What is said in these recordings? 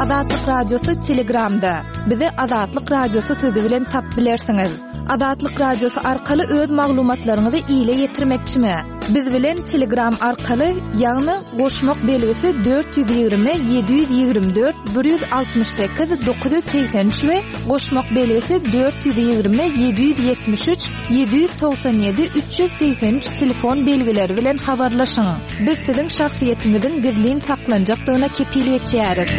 Azatlyk Radiosy Telegramda. Bizi Azatlyk Radiosy sözi bilen tap bilersiňiz. Azatlyk Radiosy arkaly öz maglumatlaryňyzy ile ýetirmekçimi? Biz bilen Telegram arkaly, ýagny goşmak belgisi 420 724 168 983 we goşmak belgisi 420 773 797 383 telefon belgileri bilen habarlaşyň. Biz siziň şahsyýetiňiziň gizlin saklanjakdygyna kepil geçýäris.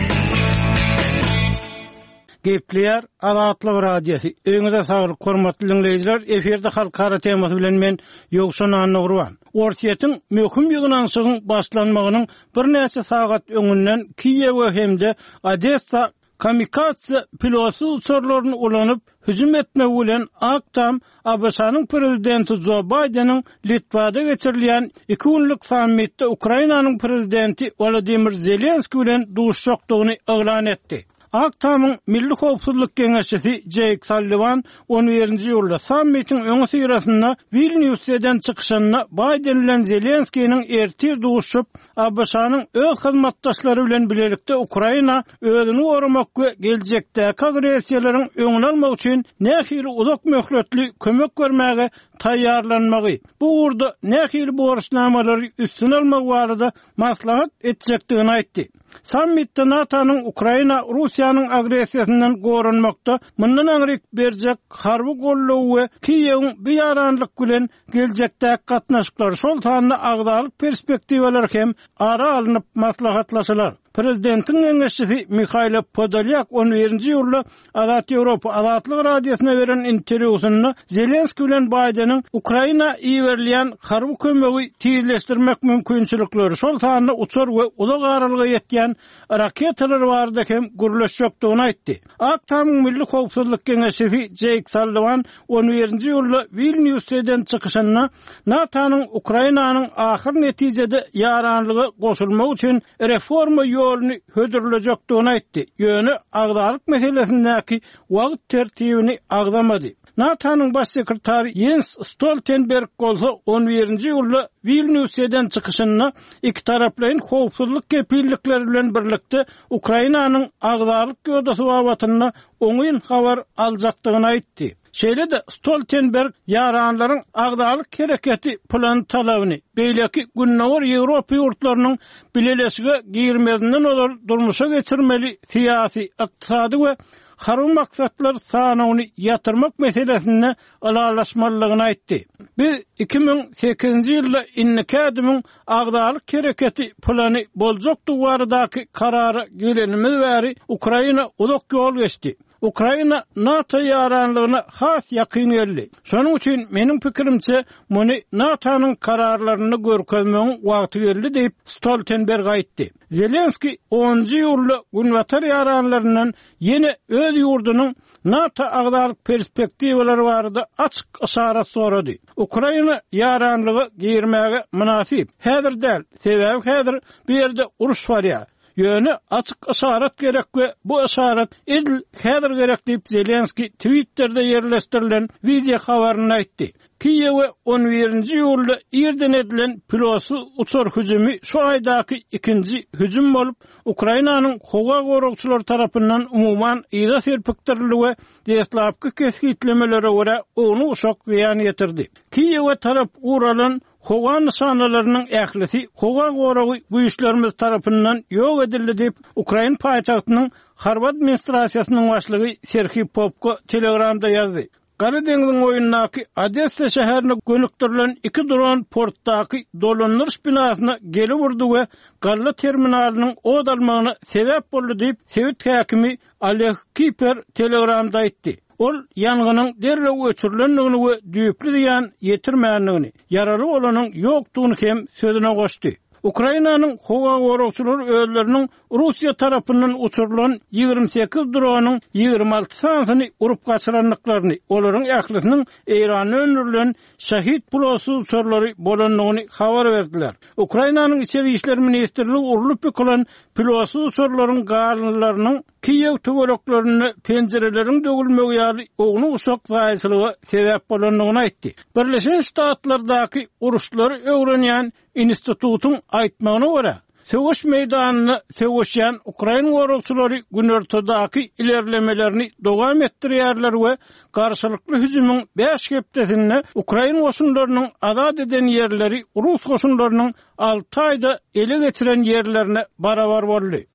Gepleýär Azatlyk Radiosy. Öýüňize saglyk, hormatly diňleýjiler! Efirde Halkara temasy bilen men, Ýowşan Annagurban. Orsýetiň möhüm ýygnanyşygyň başlanmagynyň birnäçe sagat öňünden Kiýewe hem-de Odessa Kamikadze pilotsyz uçarlaryny ulanyp, hüjüm etmegi bilen Ak Tam ABŞ-nyň Prezidenti Jo Baýdeniň Litwada geçirilýän iki günlük sammitde Ukrainanyň Prezidenti Wolodymyr Zelenskiý bilen duşuşjakdygyny yglan etdi. Ak Tamyň Milli howpsuzlyk geňeşçisi Jeýk Salliwan on birinji iýulda sammitiň öňüsyrasynda Wilnýusda eden çykyşynda Baýden bilen Zelenskiniň ertir duşuşyp, ABŞ-nyň öz hyzmatdaşlary bilen bilelikde Ukraina özüni goramak we geljekdäki agressiýalaryň öňüni almak üçin nähili uzak möhletli kömek bermäge taýýarlanmagy, bu ugurda nähili borçnamalary üstüne almagy barada maslahat etjekdigini aýtdy. Sammitde NATO-nyň Ukraina Russiýanyň agressiýasyndan goranmakda mundan aňryk berjek harby goldawy we Kiýewiň bu ýaranlyk bilen geljekdäki gatnaşyklar, şol sanda agzalyk perspektiwalary hem ara alnyp maslahatlaşylar. Prezidentiň geňeşçisi Mihailo Podolýak on birinji iýulda Azat Ýewropa Azatlyk Radiosyna beren interwýusynda Zelenskiý bilen Baýdeniň Ukraina iberilýän harby kömegi tizleşdirmek mümkinçilikleri, şol sanda uçar we uzak aralyga ýetýän raketalar barada hem gürleşjekdigini aýtdy. Ak Tamyň Milli howpsuzlyk geňeşçisi Jeýk Salliwan on birinji iýulda Wilnýusda eden çykyşynda NATO-nyň Ukrainanyň ahyr netijede ýaranlyga goşulmagy üçin reforma ýoluny hödürlejekdigini aýtdy, ýöne agzalyk meselesindäki wagt tertibini agzamady. NATO-nyň Baş sekretary Ýens Stoltenberg bolsa on birinji iýulda Wilnýusda eden çykyşynda ikitaraplaýyn howpsuzlyk kepillikleri bilen birlikde Ukrainanyň agzalyk ýodasy babatynda oňyn habar aljakdygyny aýtdy. Şeýle-de Stoltenberg ýaranlaryň agzalyk hereketi plany talabyny, beýleki Gündogar Ýewropa ýurtlarynyň bileleşige girmezinden ozal durmuşa geçirmeli syýasy, ykdysady we harby maksatlar sanawyny ýatyrmak meselesinde ylalaşmalydygyny aýtdy. Biz 2008-nji ýylda indiki ädimiň agzalyk hereketi plany boljakdygy baradaky karara gelenimiz bäri Ukraina uzak ýol geçdi. Ukraina NATO ýaranlygyna has ýakyn geldi. Şonuň üçin, meniň pikirimçe, muny NATO-nyň kararlarynda görkezmegiň wagty geldi diýip, Stoltenberg aýtdy. Zelenskiý onunjy iýulda günbatar ýaranlaryndan ýene öz ýurdunyň NATO agzalyk perspektiwalary barada açyk yşarat sorady. Ukraina ýaranlyga girmäge mynasyp. Häzir däl, sebäbi häzir bu ýerde uruş barýar. Ýöne açyk yşarat gerek we bu yşarat edil häzir gerek diýip, Zelenskiý Twitterde ýerleşdirilen wideo habarynda aýtdy. Kiýewe on birinji iýulda irden edilen pilotsyz uçar hüjümi şu aýdaky ikinji hüjüm bolup, Ukrainanyň howa goragçylary tarapyndan umuman yza serpikdirildi we deslapky kesgitlemelere görä ownuk-uşak zyýan ýetirdi. Kiýewe tarap guralan Howa nyşanalarynyň ählisi howa goragy güýçlerimiz tarapyndan ýok edildi diýip, ukrain paýtagtynyň harby administrasiýasynyň başlygy Serhiý Popko Telegramda ýazdy. Gara deňziň boýundaky Odessa şäherine gönükdirilen iki dron portdaky dolandyryş binasyna gelip urdy we galla terminalynyň ot almagyna sebäp boldy diýip, sebit häkimi Oleg Kiper Telegramda aýtdy. Ol ýangynyň derrew öçürilendigini we düýpli zyýan ýetirmändigini, ýaraly bolanyň ýokdugyny hem sözüne goşdy. Ukrainanyň howa goragçylary özleriniň Russiýa tarapyndan uçurylan 28 dronyň 26 sanysyny urup gaçyrandyklaryny, olaryň ählisiniň Eýranda öndürilen Şahid pilotsyz uçarlary bolandygyny habar berdiler. Ukrainanyň Içeri işler ministrligi urlup ýykylan pilotsyz uçarlaryň galyndylarynyň Kiýew töwereklerinde penjireleriň döwülmegi ýaly ownuk-uşak zaýaçylyga sebäp bolandygyny aýtdy. Birleşen Ştatlardaky uruşlary öwrenýän institutyň aýtmagyna görä, Söweş meýdanynda söweşýän ukrain goragçylary günortadaky ilerlemelerini dowam etdirýärler we garşylykly hüjümiň bäş hepdesinde ukrain goşunlarynyň azat eden ýerleri rus goşunlarynyň alty aýda ele geçiren ýerlerine barabar boldy.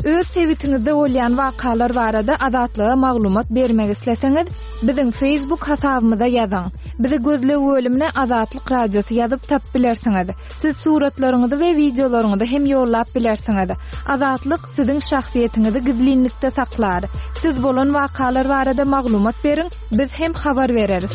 Öz sebitiňizde bolýan wakalar barada Azatlyga maglumat bermek isleseňiz, biziň Facebook hasabymyza ýazyň. Bizi gözleg bölümine Azatlyk Radiosy ýazyp tapyp bilersiňiz. Siz suratlaryňyzy we wideolaryňyzy hem ýollap bilersiňiz. Azatlyk siziň şahsyýetiňizi gizlinlikde saklar. Siz bolan wakalar barada maglumat beriň, biz hem habar bereris.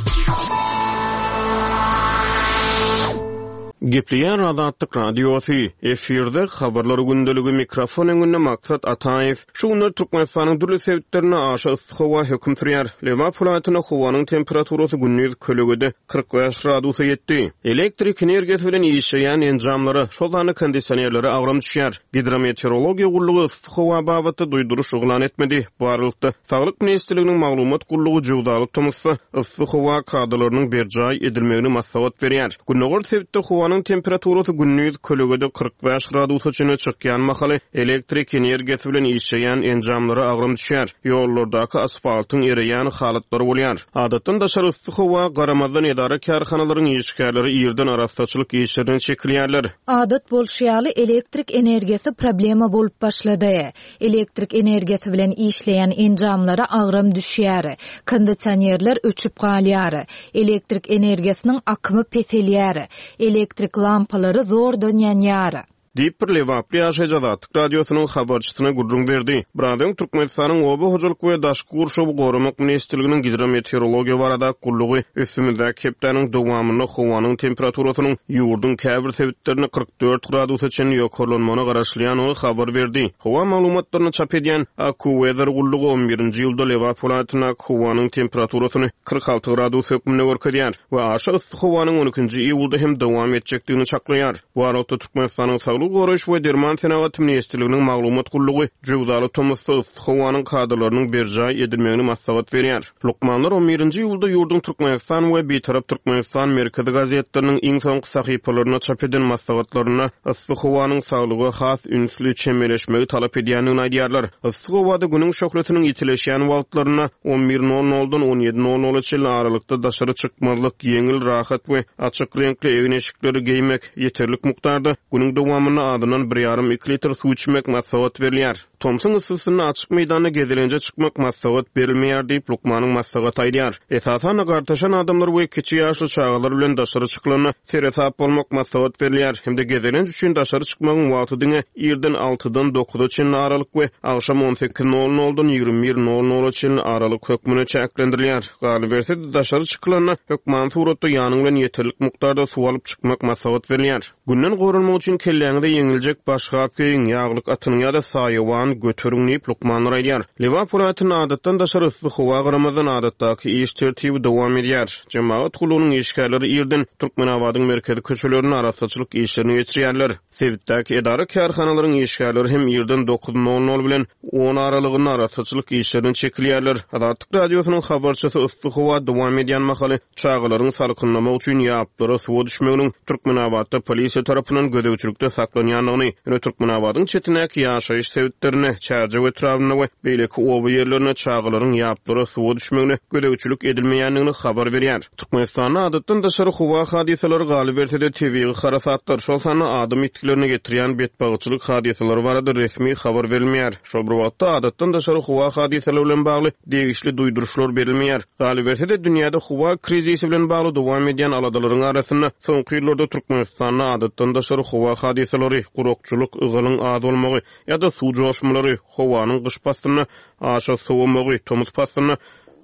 Gepleýär Azatlyk Radiosy, Efirde Habarlar gündeligi, mikrofon öňünde Maksat Ataýew. Şu günler Türkmenistanyň dürli sebitlerinde aşa yssy howa höküm sürýär. Lebap welaýatynda howanyň temperaturasy gündiz kölegede 45 gradusa ýetdi. Elektrik energiýasy bilen işleýän enjamlara, şol sanda kondisionerlere agram düşýär. Gidrometeorologiýa gullugy yssy howa babatda duýduryş yglan etmedi. Bu aralykda, Saglyk ministrliginiň maglumat gullugy jöwzaly tomusda yssy howa kadalarynyň berjaý edilmegini maslahat berýär. Gündogar sebitde howanyň temperaturasy gündiz kölegede 45 gradusa çenli çykýan mahaly elektrik energiýasy bilen işleýän enjamlara agram düşýär, ýollardaky asfaltyň ereýän halatlary bolýar. Adatdan daşary yssy howa garamazdan edara-kärhanalaryň işgärleri irden arassaçylyk işlerine çekilýärler. Adat bolşy ýaly, elektrik energiýasy problema bolup başlady. Elektrik energiýasy bilen işleýän enjamlara agram düşýär, kondisionerler öçüp galýar, elektrik energiýasynyň akymy peselýär, elektrik lampalary zordan ýanýar. Diýip, bir lebaply ýaşaýjy Azatlyk Radiosynyň habarçysyna gürrüň berdi. Biraz öň Türkmenistanyň Oba hojalyk we daşky gurşawy goramak ministrliginiň Gidrometeorologiýa baradaky gullugy üstümizdäki hepdäniň dowamynda howanyň temperaturasynyň ýurduň käbir sebitlerinde 44 gradusa çenli ýokarlanmagyna garaşylýandygy habar berdi. Howa maglumatlaryny çap edýän AccuWeather gullugy on birinji iýulda Lebap welaýatyndaky howanyň temperaturasyny 46 gradus hökmünde görkezýär we aşa yssy howanyň on ikinji iýulda hem dowam etjekdigini çaklaýar. Bu aralykda, Türkmenistanyň Saglygy goraýyş we derman senagaty ministrliginiň maglumat gullugy jöwzaly tomusda yssy howanyň kadalarynyň berjaý edilmegini maslahat berýär. Lukmanlar on birinji iýulda ýurduň Türkmenistan we Bitarap Türkmenistan merkezi gazetleriniň iň soňky sahypalarynda çap eden maslahatlarynda yssy howanyň saglyga has ünsli çemeleşmegi talap edýändigini aýdýarlar. Yssy howada günüň şöhlesiniň ýitileşýän wagtlarynda on bir nol noldan on ýedi nol nola çenli aralykda daşary çykmazlyk, ýeňil, rahat we açyk reňkli egin-eşikleri geýmek, ýeterlik mukdarda günüň dowamynda azyndan bir ýarym-iki litr suw içmek maslahat berilýär. Tomsuň yssysynda açyk meýdanda gezelenje çykmak maslahat berilmeýär diýip, lukmanyň maslahaty aýdýar. Esasan-da, gartaşan adamlar we kiçi ýaşly çagalar bilen daşary çykylanda seresap bolmak maslahat berilýär hem-de gezelenç üçin daşary çykmagyň wagty diňe irden altydan dokuza çenli aralyk we agşam on sekiz nol noldan 21 nol nola çenli aralyk hökmünde çäklendirilýär. Galyberse-de, daşary çykylanda hökmany suratda ýanyň bilen ýeterlik mukdarda suw alyp çykmak maslahat berilýär. Günden goranmak üçin kelläňize ýeňiljek başgap geýiň, ýaglyk atynyň ýa-da saýawan göteriň diýip, lukmanlar aýdýar. Lebap welaýatynda adatdan daşary yssy howa garamazdan, adatdaky iş tertibi dowam edýär. Jemagat gullugynyň işgärleri irden Türkmenabadyň merkezi köçelerinde arassaçylyk işlerini geçirýärler. Sebitdäki edara-kärhanalaryň işgärleri hem irden dokuz nol nol bilen on aralygynda arassaçylyk işlerine çekilýärler. Azatlyk Radiosynyň habarçysy yssy howa dowam edýän mahaly çagalaryň salkynlamak üçin ýaplara suwa düşmeginiň Türkmenabatda polisiýa tarapyndan gözegçilikde saklanýandygyny, ýöne Türkmenabadyň çetindäki ýaşaýyş sebitlerinde, Çärjew etrabynda we beýleki oba ýerlerinde çagalaryň ýaplara suwa düşmegine gözegçilik edilmeýändigini habar berýär. Türkmenistanda adatdan daşary howa hadysalary, galyberse-de, tebigy harasatlar, şol sanda adam ýitgilerine getirýän betbagtçylyk hadysalary barada resmi habar berilmeýär. Şol bir wagtda, adatdan daşary howa hadysalary bilen bagly degişli duýduryşlar berilmeýär. Galyberse-de, dünýäde howa krizisi bilen bagly dowam edýän aladalaryň arasynda, soňky ýyllarda Türkmenistanda adatdan daşary howa hadysalary, gurakçylyk, ygalyň az bolmagy ýa-da suw joşmalary, howanyň gyş paslynda aşa sowamagy, tomus paslynda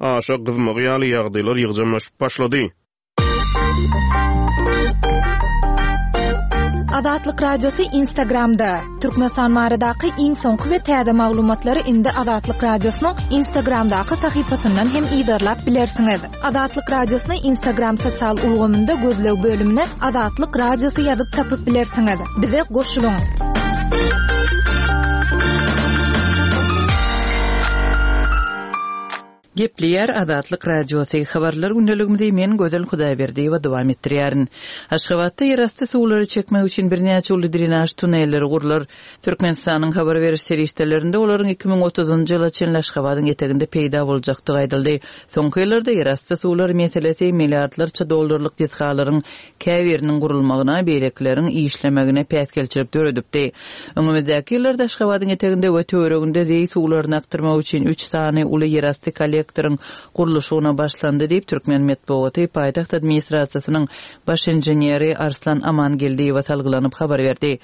aşa gyzmagy ýaly ýagdaýlar ýygjamlaşyp başlady. Azatlyk Radiosy Instagramda, Türkmenistan baradaky iň soňky we täze maglumatlary indi Azatlyk Radiosynyň Instagramdaky sahypasyndan hem yzarlap bilersiňiz. Azatlyk Radiosyny Instagram sosial ulgamynda gözleg bölümine Azatlyk Radiosy ýazyp tapyp bilersiňiz. Bize goşulyň! Gepleýär Azatlyk Radiosy, Habarlar gündeligimizi men Gözel Hudaýberdiýewa dowam etdirýärin. Aşgabatda ýerasty suwlary çekmek üçin birnäçe uly drenaž tunelleri gurlar. Türkmenistanyň habar beriş serişdelerinde olaryň 2030-njy ýyla çenli Aşgabadyň eteginde peýda boljakdygy aýdyldy. Soňky ýyllarda ýerasty suwlar meselesi milliardlarça dollarlyk desgalaryň käbiriniň gurulmagyna, beýlekileriň işlemegine päsgelçilik döredipdi. Öňümizdäki ýyllarda Aşgabadyň eteginde we töwereginde zeý suwlaryny akdyrmak üçin üç sany uly ýerasty kollektoryň gurluşygyna başlandy diýip, türkmen metbugaty paýtagt administrasiýasynyň baş inženeri Arslan Amangeldiýewe salgylanyp habar berdi.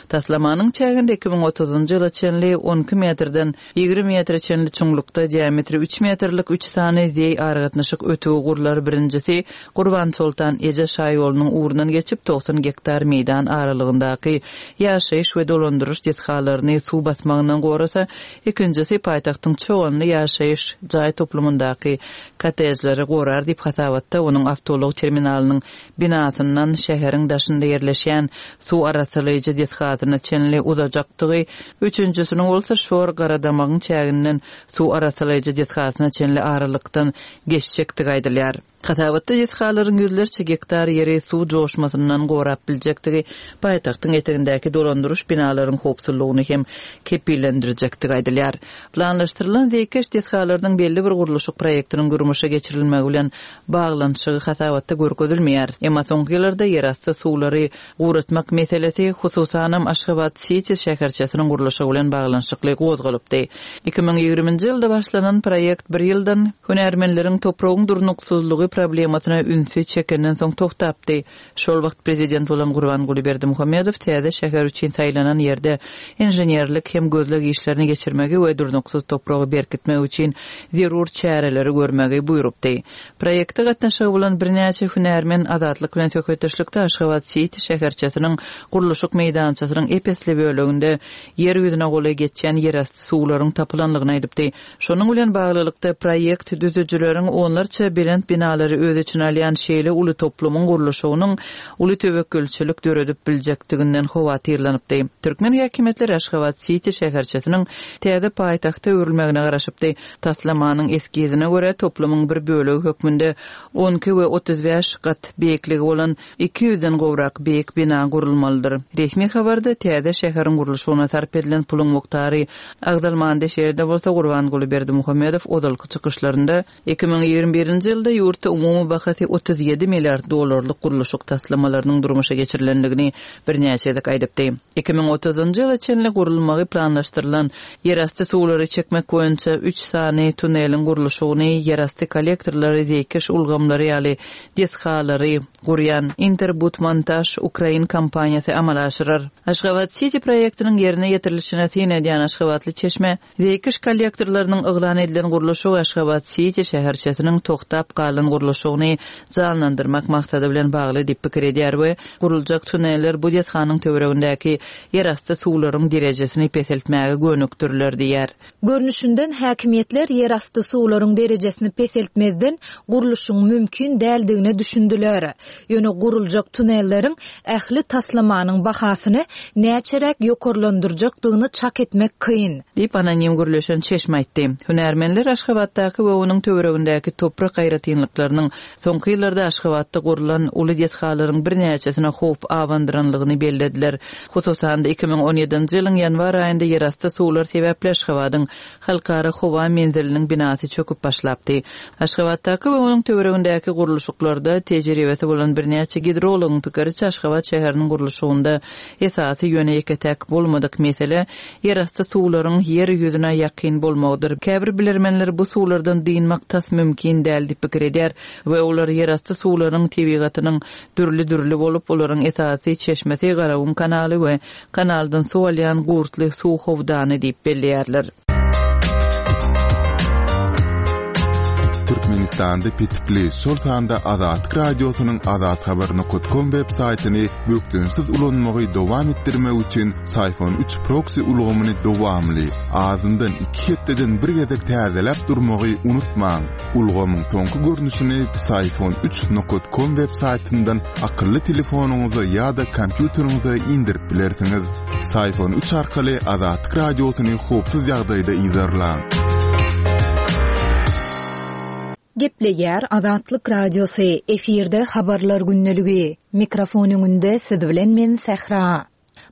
Taslamanyň çäginde 2030-njy ýyla çenli 12 metrden 20 metre çenli çuňlukda diametri üç metrlik üç sany zeý aragatnaşyk ötügi gurlar, birinjisi Gurbansoltan eje şaýolunyň ugrundan geçip, 90 gektar meýdan aralygyndaky ýaşaýyş we dolandyryş desgalaryny suw basmagyndan gorasa, ikinjisi paýtagtyň Çoganly ýaşaýyş jaý toplumyndaky kottejleri gorar diýip, hasabatda onuň awtoulag terminalynyň binasyndan şäheriň daşynda ýerleşýän suw arassalaýjy desgasyna çenli uzajakdygy, üçünjisiniň bolsa Şor Garadamagyň çäginden suw arassalaýjy desgasyna çenli aralykdan geçjekdigi aýdylýar. Hasabatda desgalaryň ýüzlerçe gektar ýeri suw joşmasyndan gorap biljekdigi, paýtagtyň etegindäki dolandyryş binalaryň howpsuzlygyny hem kepillendirjekdigi aýdylýar. Planlaşdyrylan zeýkeş desgalarynyň belli bir gurluşyk proýektiniň durmuşa geçirilmegi bilen baglanyşygy hasabatda görkezilmeýär. Emma soňky ýyllarda ýerasty suwlary guratmak meselesi, hususanam, Aşgabat-siti şäherçesiniň gurluşygy bilen baglanyşykly gozgalypdy. 2020-nji ýylda başlanan proýekt bir ýyldan, hünärmenleriň topragyň durnuksyzlygy problemasyna ünsi çekenden soň togtapdy. Şol wagt prezident bolan Gurbanguly Berdimuhamedow täze şäher üçin saýlanan ýerde inženerlik hem gözleg işlerini geçirmegi we durnuksyz topragy berkitmek üçin zerur çäreleri görmegi buýrupdy. Proýekte gatnaşygy bolan birnäçe hünärmen Azatlyk bilen söhbetdeşlikde Aşgabat-siti şäherçesiniň gurluşyk meýdançasynyň ep-esli böleginde ýer ýüzüne golaý geçýän ýerasty suwlaryň tapylandygyny aýdypdy. Şonuň bilen baglylykda, proýekt düzüjileriň onlarça belent binalary öz içine alýan şeýle uly toplumyň gurluşygynyň uly töwekgelçilik döredip biljekdiginden howatyrlanypdy. Türkmen häkimiýetleri Aşgabat-siti şäherçesiniň täze paýtagta öwrülmegine garaşypdy. Taslamanyň eskizine görä, toplumyň bir bölegi hökmünde 12 we 35 gat beýikligi bolan 200-den gowrak beýik bina gurulmalydyr. Resmi habarda täze şäheriň gurluşygyna sarp edilen puluň mukdary agzalmandy, şeýle-de bolsa Gurbanguly Berdimuhamedow ozalky çykyşlarynda 2021-nji ýylda ýurtda umumy bahasy 37 milliard dollarlyk gurluşyk taslamalarynyň durmuşa geçirilendigini birnäçe gezek aýdypdy. 2030-njy ýyla çenli gurulmagy planlaşdyrylan ýerasty suwlary çekmek boýunça üç sany tuneliň gurluşygyny, ýerasty kollektorlary, zeýkeş ulgamlary ýaly desgalary gurýan Interbudmontaž ukrain kompaniýasy amala aşyrar. Aşgabat-siti proýektiniň ýerine ýetirilişine syn edýän aşgabatly çeşme, zeýkeş kollektorlarynyň yglan edilen gurluşygy Aşgabat-siti şäherçesiniň togtap galan gurluşygyny janlandyrmak maksady bilen bagly diýip pikir edýär we guruljak tuneller bu desganyň töweregindäki ýerasty suwlaryň derejesini peseltmäge gönükdiriler diýýär. Görnüşinden, häkimiýetler ýerasty suwlaryň derejesini peseltmezden gurluşygyň mümkin däldigine düşündiler. Ýöne guruljak tunelleriň ähli taslamanyň bahasyny näçeräk ýokarlandyrjakdygyny çak etmek kyn. Diýip, anonim gürleşen çeşme aýtdy. Hünärmenler Aşgabatdaky we onuň töweregindäki toprak aýratynlyklarynyň soňky ýyllarda Aşgabatda gurlan uly desgalaryň birnäçesine howp abandyranlygyny bellediler. Hususan-da, 2017-nji ýylyň ýanwar aýynda ýerasty suwlar sebäpli Aşgabadyň Halkara howa menziliniň binasy çöküp başlapdy. Aşgabatdaky we onuň töweregindäki gurluşyklarda tejribesi bolan birnäçe gidrologyň pikiriçe, Aşgabat şäheriniň gurluşygynda esasy, ýöne ýeke-täk bolmadyk mesele ýerasty suwlaryň ýer ýüzüne ýakyn bolmagydyr. Käbir bilermenler bu suwlardan dynmak tas mümkin däl diýip pikir edýär we olar ýerasty suwlaryň tebigatynyň dürli-dürli bolup, olaryň esasy çeşmesi Garagum kanaly we kanaldan suw alýan Gurtly suw howdany diýip belleýärler. Türkmenistanda petikli, şol sanda Azatlyk Radiosynyň azathabar nokat kom web saýtyny bökdençsiz ulanmagy dowam etdirmek üçin Syfon üç proksi ulgamyny dowamly, azyndan iki hepdeden bir gezek täzeläp durmagy unutmaň. Ulgamyň soňky görnüşini Syfon üç nokat kom web saýtyndan akylly telefonyňyza ýa-da kompýuteriňize indirip bilersiňiz. Syfon üç arkaly Azatlyk Radiosyny howpsuz ýagdaýda yzarlaň. Gepleýär Azatlyk Radiosy, efirde Habarlar gündeligi. Mikrofon öňünde siz bilen men Sähra.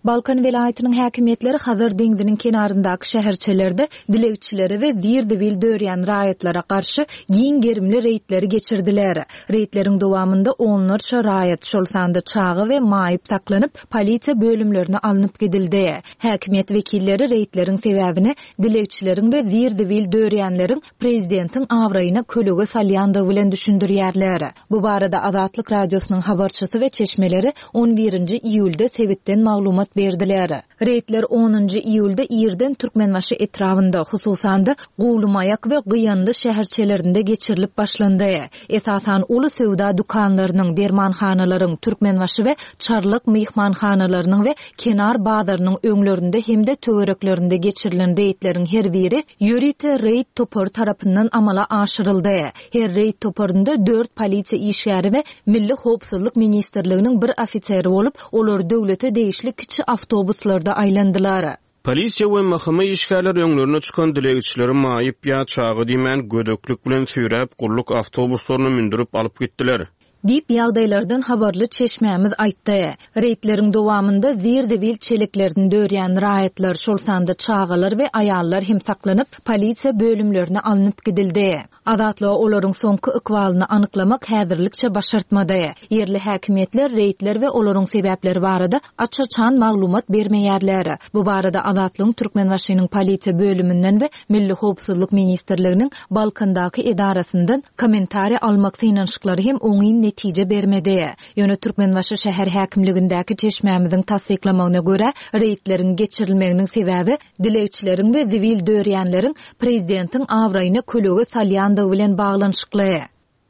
Balkan welaýatynyň häkimiýetleri Hazar deňziniň kenaryndaky şäherçelerde dilegçilere we zir-zibil dörýän raýatlara garşy giň gerimli reýdleri geçirdiler. Reýdleriň dowamynda onlarça raýat, şol sanda çaga we maýyp saklanyp, polisiýa bölümlerine alnyp gidildi. Häkimiýet wekilleri reýdleriň sebäbini dilegçileriň we zir-zibil dörýänleriň prezidentiň abraýyna kölege salýandygy bilen düşündirýärler. Bu barada Azatlyk Radiosynyň habarçysy we çeşmeleri on birinji iýulda sebitden maglumat berdiler. Reýdler onunjy iýulda irden Türkmenbaşy etrabynda, hususan-da, Guwlymaýak we Gyýanly şäherçelerinde geçirilip başlandy. Esasan, uly söwda dükanlarynyň, dermanhanalaryň, Türkmenbaşy we Çarlak myhmanhanalarynyň we Kenar bazarynyň öňlerinde hem-de töwereklerinde geçirilen reýdleriň her biri ýörite reýd topary tarapyndan amala aşyryldy. Her reýd toparynda dört polisiýa işgäri we Milli howpsuzlyk ministrliginiň bir ofiseri bolup, olar döwlete degişli kiçi awtobuslarda aýlandylar. Polisiýa we MHM işgärleri öňlerine çykan dilegçileri maýyp ýa çaga diýmän gödeklik bilen süýräp, gulluk awtobuslaryna mündürip alyp gitdiler. Diýip, ýagdaýlardan habarly çeşmämiz aýtdy. Reýdleriň dowamynda zir-zibil çeleklerini dörýän raýatlar, şol sanda çagalar we aýallar hem saklanyp, polisiýa bölümlerine alnyp gidildi. Azatlyga olaryň soňky ykbalyny anyklamak häzirlikçe başartmady. Ýerli häkimiýetler reýdler we olaryň sebäpleri barada aç-açan maglumat bermeýärler. Bu barada Azatlygyň Türkmenbaşynyň polisiýa bölüminden we Milli howpsuzlyk ministrliginiň Balkandaky edarasyndan kommentariý almak synanyşyklary hem oňyn netije bermedi. Ýöne Türkmenbaşy şäher häkimligindäki çeşmämiziň tassyklamagyna görä, reýdleriň geçirilmeginiň sebäbi dilegçileriň we zibil dörýänleriň prezidentiň abraýyna kölege salýandygy bilen baglanyşykly.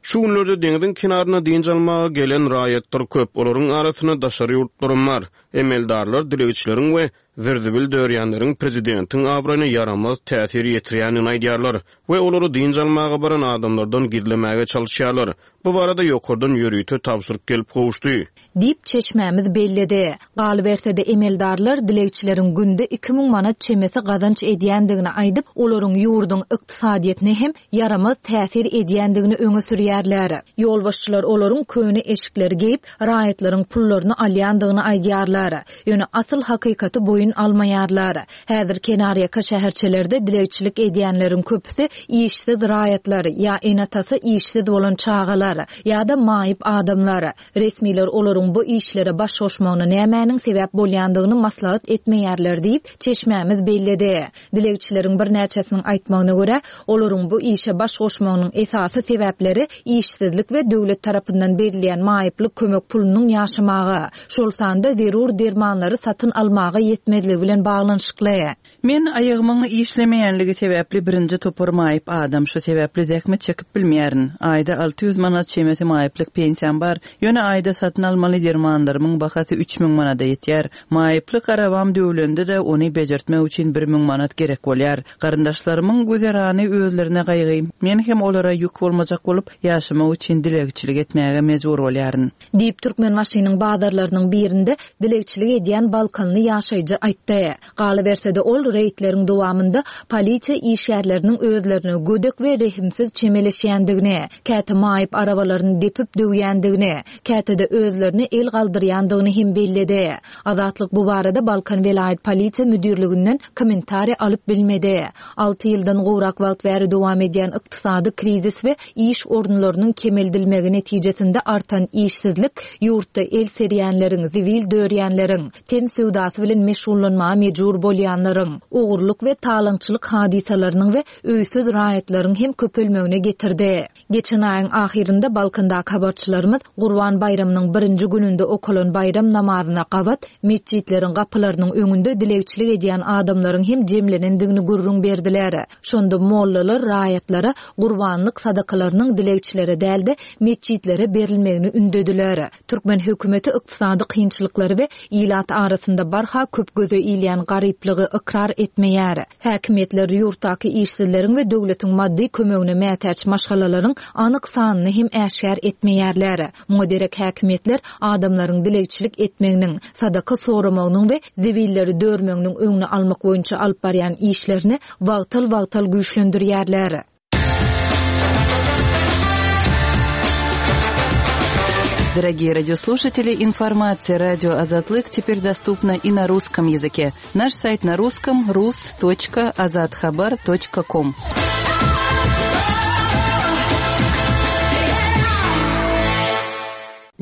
Şu günlerde deňziň kenaryna dynç almaga gelen raýatlar köp, olaryň arasynda daşary ýurtlaram bar. Emeldarlar dilegçileriň we zir-zibil dörýänleriň prezidentiň abraýyna ýaramaz täsir ýetirýändigini aýdýarlar we olary dynç almaga baran adamlardan gizlemäge çalyşýarlar. Bu barada ýokardan ýörite tabşyryk gelip gowuşdy. Diýip, çeşmämiz belledi. Galyberse-de, emeldarlar dilegçileriň günde 2000 manat çemesi gazanç edýändigini aýdyp, olaryň ýurduň ykdysadyýetine hem ýaramaz täsir edýändigini öňe sürýärler. Ýolbaşçylar olaryň köne eşikleri geýip, raýatlaryň pullaryny alýandygyny aýdýarlar. Ýöne asyl hakykaty boýun almaýarlar. Häzir kenarýaka şäherçelerde dilegçilik edýänleriň köpüsi işsiz raýatlar, ýa ene-atasy işsiz bolan çagalar, ýa-da maýyp adamlar. Resmiler olaryň bu işlere baş goşmagyna nämäniň sebäp bolýandygyny maslahat etmeýärler diýip, çeşmämiz belledi. Dilegçileriň birnäçesiniň aýtmagyna görä, olaryň bu işe baş goşmagynyň esasy sebäpleri işsizlik we döwlet tarapyndan berilýän maýyplyk kömek pulunyň ýaşamaga, şol sanda zerur dermanlary satyn almaga ýetmezligi bilen baglanyşykly. Men aýagymyň işlemeýänligi sebäpli birinji topar maýyp adam, şu sebäpli zähmet çekip bilmeýärin. Aýda 600 manat çemesi maýyplyk pensiýam bar, ýöne aýda satyn almaly dermanlarymyň bahasy 3000 manada ýetýär. Maýyplyk arabam döwlende-de, ony bejertmek üçin 1000 manat gerek bolýar. Garyndaşlarymyň güzerany özlerine gaýgy, men hem olara ýük bolmajak bolup, ýaşamak üçin dilegçilik etmäge mejbur bolýaryn. Diýip, Türkmenbaşynyň bazarlarynyň birinde dilegçilik edýän balkanly ýaşaýjy aýtdy. Galyberse-de, ol reýdleriň dowamynda polisiýa işgärleriniň özlerine gödek we rehimsiz çemeleşýändigini, käte maýyp arabalaryny depip döwýändigini, käte-de özlerine el galdyrýandygyny hem belledi. Azatlyk bu barada Balkan welaýat polisiýa müdirliginden kommentariý alyp bilmedi. Alty ýyldan gowrak wagt bäri dowam edýän ykdysady krizis we iş orunlarynyň kemeldilmegi netijesinde artan işsizlik ýurtda el serýänleriň, zibil dörýänleriň, ten söwdasy bilen meşgullanmaga mejbur bolýanlaryň, ogurlyk we talaňçylyk hadysalarynyň we öýsüz raýatlaryň hem köpelmegine getirdi. Geçen aýyň ahyrynda Balkandaky habarçylarymyz Gurban baýramynyň birinji gününde okalan baýram namazyna gabat metjitleriň gapylarynyň öňünde dilegçilik edýän adamlaryň hem jemlenendigini gürrüň berdiler. Şonda mollalar raýatlara gurbanlyk sadakalarynyň dilegçilere däl-de, metjitlere berilmegini ündediler. Türkmen hökümeti ykdysady kynçylyklary we ilat arasynda barha köp göze ilýän garyplygy ykrar etmeýär. Häkimiýetler ýurtdaky işsizleriň we döwletiň maddy kömegine mätäç maşgalalaryň anyk sanyny hem äşgär etmeýärler. Muňa derek häkimiýetler adamlaryň dilegçilik etmeginiň, sadaka soramagynyň we zibilleri dörmeginiň öňüni almak boýunça alyp barýan işlerini wagtal-wagtal güýçlendirýärler. Дорогие радиослушатели, информация радио Азатлык теперь доступна и на русском языке. Наш сайт на русском rus.azathabar.com.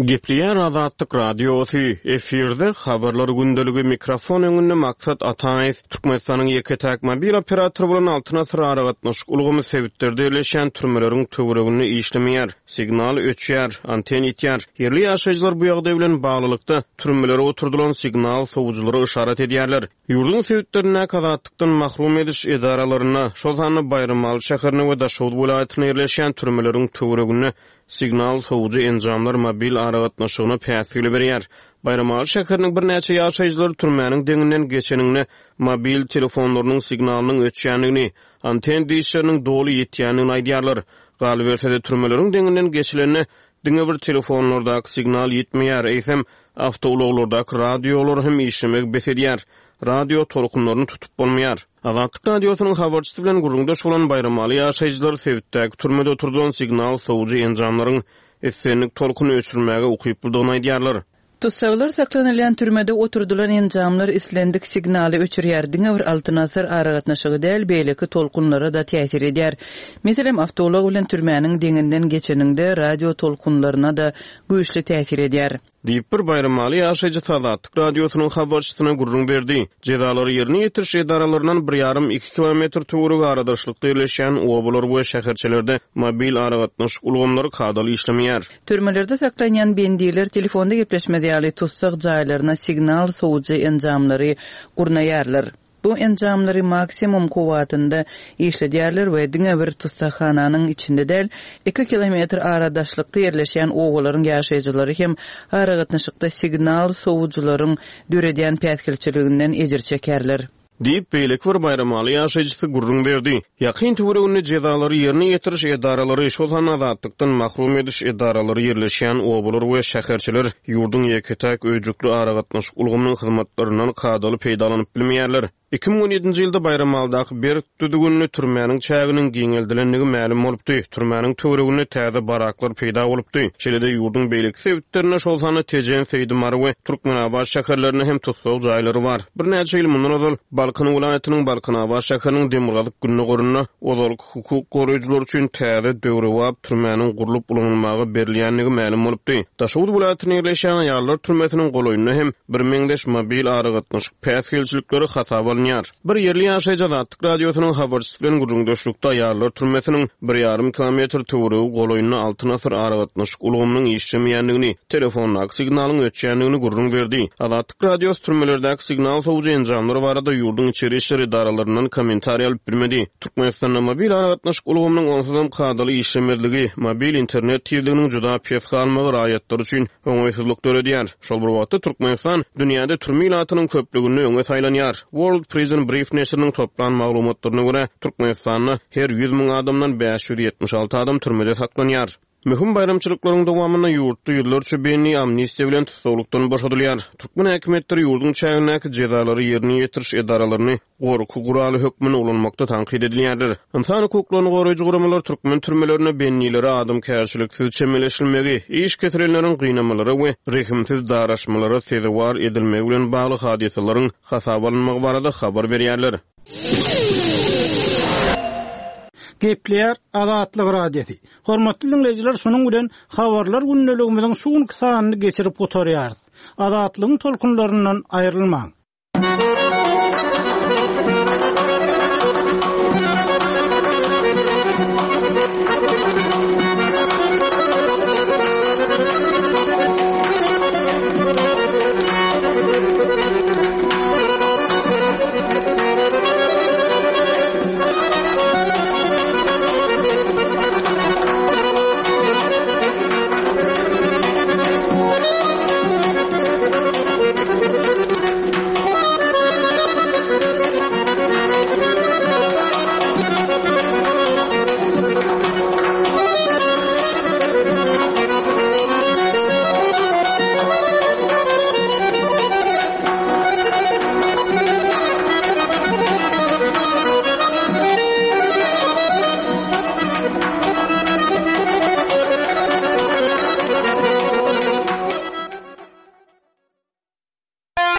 Gepleýär Azatlyk Radiosy, efirde Habarlar gündeligi, mikrofon öňünde Maksat Ataýew. Türkmenistanyň ýeke-täk mobil operatory bolan Altyn Asyr aragatnaşyk ulgamy sebitlerde ýerleşýän türmeleriň töwereginde işlemeýär. Signal öçýär, anten ýitýär. Ýerli ýaşaýjylar bu ýagdaý bilen baglylykda, türmelere oturdylan signal sowujylara yşarat edýärler. Ýurduň sebitlerindäki azatlykdan mahrum ediş edaralarynda, şol sanda Baýramaly şäherinde we Daşoguz welaýatynda ýerleşýän türmeleriň töwereginde signal sowujy enjamlar mobil aragatnaşygyna päsgel berýär. Baýramaly şäheriniň birnäçe ýaşaýjylary türmäniň deňinden geçeninde mobil telefonlarynyň signalynyň öçýändigini, anten dişleriniň doly ýitýändigini aýdýarlar. Galyberse-de, türmeleriň deňinden geçilende diňe bir telefonlardaky signal ýitmeýär, eýsem, awtoulaglardaky radiolar hem işlemegi bes edýär. Radio tolkunlaryny tutup bolmaýar. Azatlyk Radiosynyň habarçysy bilen gürrüňdeş bolan baýramaly ýaşaýjylar sebitdäki türmede oturdylan signal sowujy enjamlaryň islendik tolkuny öçürmäge ukyplydygyny aýdýarlar. Tussaglar saklanylýan türmede oturdylan enjamlar islendik signaly öçürýär, diňe bir Altyn Asyr aragatnaşygy däl, beýleki tolkunlara-da täsir edýär. Meselem, awtoulag bilen türmäniň deňinden geçeniňde radio tolkunlaryna-da güýçli täsir edýär. Diýip, bir baýramaly ýaşaýjysy Azatlyk Radiosynyň habarçysyna gürrüň berdi. Jezalary ýerine ýetiriş edaralaryndan bir ýarym-iki kilometr töweregi aradaşlykda ýerleşýän obalar we şäherçelerde mobil aragatnaşyk ulgamlary kadaly işlemeýär. Türmelerde saklanýan bendiler telefonda gepleşmez ýaly tussag jaýlaryna signal sowujy enjamlary gurnaýarlar. Bu enjamlary maksimum kuwwatynda işledýärler we diňe bir tussaghananyň içinde däl, iki kilometr ara daşlykda ýerleşýän obalaryň ýaşaýjylary hem aragatnaşykda signal sowujylaryň döredýän päsgelçiliginden ejir çekerler. Diýip, beýleki bir baýramaly ýaşaýjysy gürrüň berdi. Ýakyn töwereginde jezalary ýerine ýetiriş edaralary, şol sanda azatlykdan mahrum ediş edaralary ýerleşýän obalar we şäherçeler ýurduň ýeke-täk öýjükli aragatnaşyk ulgamynyň hyzmatlaryndan kadaly peýdalanyp bilmeýärler. 2017-nji ýylda Baýramalydaky berk düzgünli türmäniň çäginiň giňeldilendigi mälim bolupdy, türmäniň töwereginde täze baraklar peýda bolupdy. Şeýle-de ýurduň beýleki sebitlerinde, şol sanda Tejen, Seýdi, Mary we Türkmenabat şäherlerinde hem tussag jaýlary bar. Birnäçe ýyl mundan ozal, Balkan welaýatynyň Balkanabat şäheriniň demirgazyk-gündogarynda ozalky hukuk goraýjylar üçin täze, döwrebap türmäniň gurlup ulanylmaga berilýändigi mälim bolupdy. Daşoguz welaýatynda ýerleşýän aýallar türmesiniň golaýynda hem birmeňzeş mobil aragatnaşyk päsgelçilikleri hasaba alynýar. Bir ýerli ýaşaýjy Azatlyk Radiosynyň habarçysy bilen gürrüňdeşlikde aýallar türmesiniň bir ýarym kilometr töweregi golaýynda Altyn asyr aragatnaşyk ulgamynyň işlemeýändigini, telefondaky signalyň öçýändigini gürrüň berdi. Azatlyk Radiosy türmelerdäki signal sowujy enjamlar barada ýurduň içeri işler edaralaryndan kommentariý alyp bilmedi. Türkmenistanda mobil aragatnaşyk ulgamynyň onsuzam kadaly işlemezligi, mobil internet tizliginiň juda pes galmagy raýatlar üçin oňaýsyzlyk döredýär. Şol bir wagtda, Türkmenistan dünýäde türme ilatynyň köplüginde öňe saýlanýar. World Prison Brief neşiriniň toplan maglumatlaryna görä, Türkmenistanda her 100 müň adamdan 576 adam türmede saklanýar. Möhüm baýramçylyklaryň dowamynda ýurtda ýüzlerçe bendi amnistiýa bilen tussaglykdan boşadylýar. Türkmen häkimiýetleri ýurduň çägindäki jezalary ýerine ýetiriş edaralaryny gorky guraly hökmünde ulanmakda tankyt edilýärler. Ynsan hukuklaryny goraýjy guramalar türkmen türmelerinde bendilere adamkärçiliksiz çemeleşilmegi, iş kesilenleriň gynamalara we rehimsiz daraşmalara sezewar edilmegi bilen bagly hadysalaryň hasaba alynmagy barada habar berýärler. Gepleýär Azatlyk Radiosy. Hormatly diňleýjiler, şunuň bilen Habarlar gündeligimiziň şu günki sanyny geçirip gutarýarys. Azatlygyň tolkunlaryndan aýrylmaň!